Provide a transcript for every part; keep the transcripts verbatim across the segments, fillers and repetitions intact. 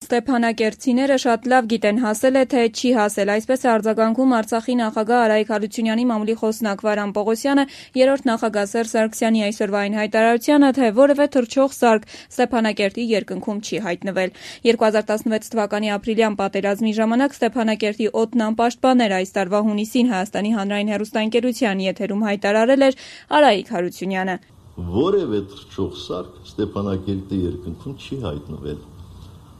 ստեփանակերտցիները շատ լավ գիտեն հասել է, թե չի հասել, այսպես է արձագանքում Արցախի նախագահ Արայիկ Հարությունյանի մամուլի խոսնակ Վարան Պողոսյանը երրորդ նախագահ Սերժ Սարգսյանի այսօրվա այն հայտարարությանը, թե որևէ թռչող սարք Ստեփանակերտի երկնքում չի հայտնվել։ երկու հազար տասնվեց թվականի ապրիլյան պատերազմի ժամանակ Ստեփանակերտի օդն անպաշտպան էր, այս տարվա հունիսին Հայաստանի հանրային հեռուստաընկերության եթերում հայտարարել էր Արայիկ Հարությունյանը։ Որևէ թռչող սարք Ստեփանակերտի երկնքում չի հայտնվել։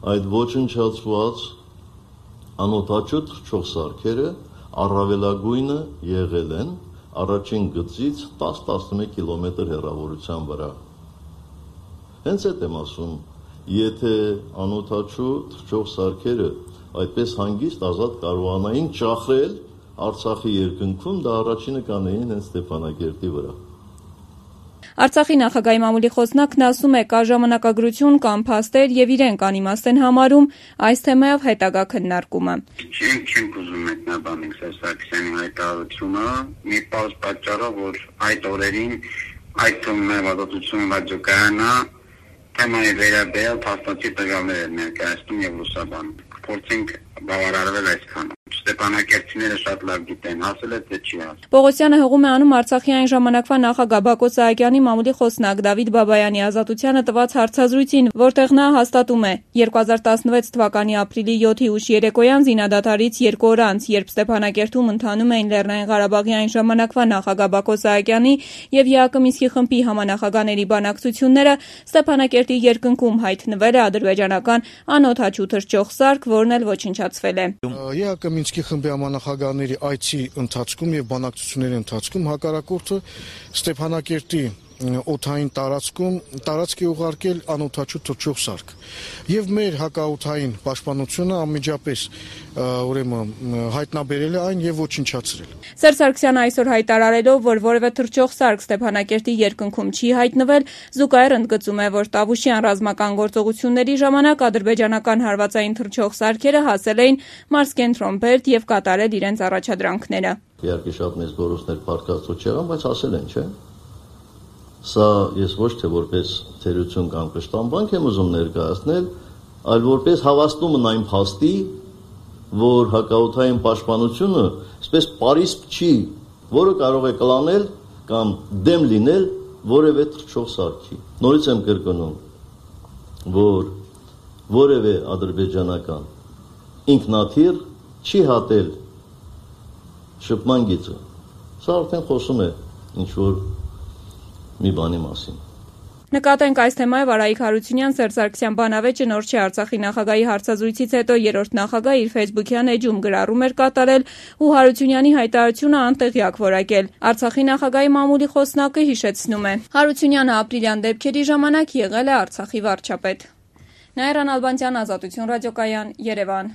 Այդ ոչնչացված անօդաչու թռչող սարքերը առավելագույնը եղել են առաջին գծից տաս տասնմեկ կիլոմետր հեռավորության վրա։ Հենց այդ եմ ասում, եթե անօդաչու թռչող սարքերը այդպես հանգիստ ազատ կարողանային ճախրել Արցախի երկնքում, դա առաջինը կանեին հենց Ստեփանակերտի վրա։ Արցախի նախագահի մամուլի խոսնակն ասում է, կա ժամանակագրություն կամ փաստեր եւ իրենք անիմաստ են համարում այս թեմայով հետագա քննարկումը։ Չենք չենք ուզում մեկնաբանել Սերժ Սարգսյանի հայտարարությունը, մի պարզ պատճառով, որ այդ օրերին այդ թվում է ազատություն ռադիոկայանը թեմայի վերաբերյալ փաստացի տվյալներ էր ներկայացնում եւ լուսաբանում։ Փորձենք բավարարվել այսքանով։ Ստեփանակերտցիները շատ լավ գիտեն, հասել է թե չի հասել։ Պողոսյանը հղում է անում Արցախի այն ժամանակվա նախագահ Բակո Սահակյանի մամուլի խոսնակ Դավիթ Բաբայանի ազատությանը տված հարցազրույցին, որտեղ նա հաստատում է. երկու հազար տասնվեց թվականի ապրիլի յոթի ուշ երեկոյան զինադադարից երկու օր անց, երբ Ստեփանակերտում ընթանում էին Լեռնային Ղարաբաղի այն ժամանակվա նախագահ Բակո Սահակյանի եւ ԵԱԿ Մինսկի խմբի համանախագահների բանակցությունները, Ստեփանակերտի երկնքում հայտնվել է ադրբեջանական անօդաչու թռչող սարք, որն էլ ոչնչացվել է։ ԵԱԿ Մինսկի խմբի համանախագահների այցի ընթացքում եւ բանակցությունների ընթացքում հակառակորդը Ստեփանակերտի օդային տարածքում տարածք է ուղարկել անօդաչու թռչող սարք եւ մեր հակաօդային պաշտպանությունը անմիջապես ուրեմն հայտնաբերել է այն եւ ոչնչացրել։ Սերժ Սարգսյանը այսօր հայտարարելով, որ որևէ թռչող սարք Ստեփանակերտի երկնքում չի հայտնվել, զուգահեռ ընդգծում է, որ Տավուշյան ռազմական գործողությունների ժամանակ ադրբեջանական հարվածային թռչող սարքերը հասել էին Մարսկենտրոն Բերդ եւ կատարել իրենց առաջադրանքները։ Իհարկե շատ մեծ գործներ փառքաստու չեղան, բայց հասել են, չէ՞։ Սա ես ոչ թե որպես թերություն կամ կշտամբանք եմ ուզում ներկայացնել, այլ որպես հավաստումն այն փաստի, որ հակաօդային պաշտպանությունը այսպես պարիսպ չի, որը կարող է կլանել կամ դեմ լինել որևէ թռչող սարքի։ Նորից եմ կրկնում, որ որևէ ադրբեջանական ինքնաթիռ չի հատել շփման գիծը։ Սա արդեն խոսում է ինչ-որ մի բանի մասին։ Նկատենք այս թեմայով Արայիկ Հարությունյան Սերժ Սարգսյան բանավեճը նոր չի Արցախի նախագահի հարցազրույցից հետո երրորդ նախագահ իր Facebook-յան էջում գրառում էր կատարել ու Հարությունյանի հայտարարությունը անտեղյակ որակել։ Արցախի նախագահի մամուլի խոսնակը հիշեցնում է. Հարությունյանը ապրիլյան դեպքերի ժամանակ եղել է Արցախի վարչապետ։ Նաիրա Նալբանդյան, Ազատություն ռադիոկայան, Երևան։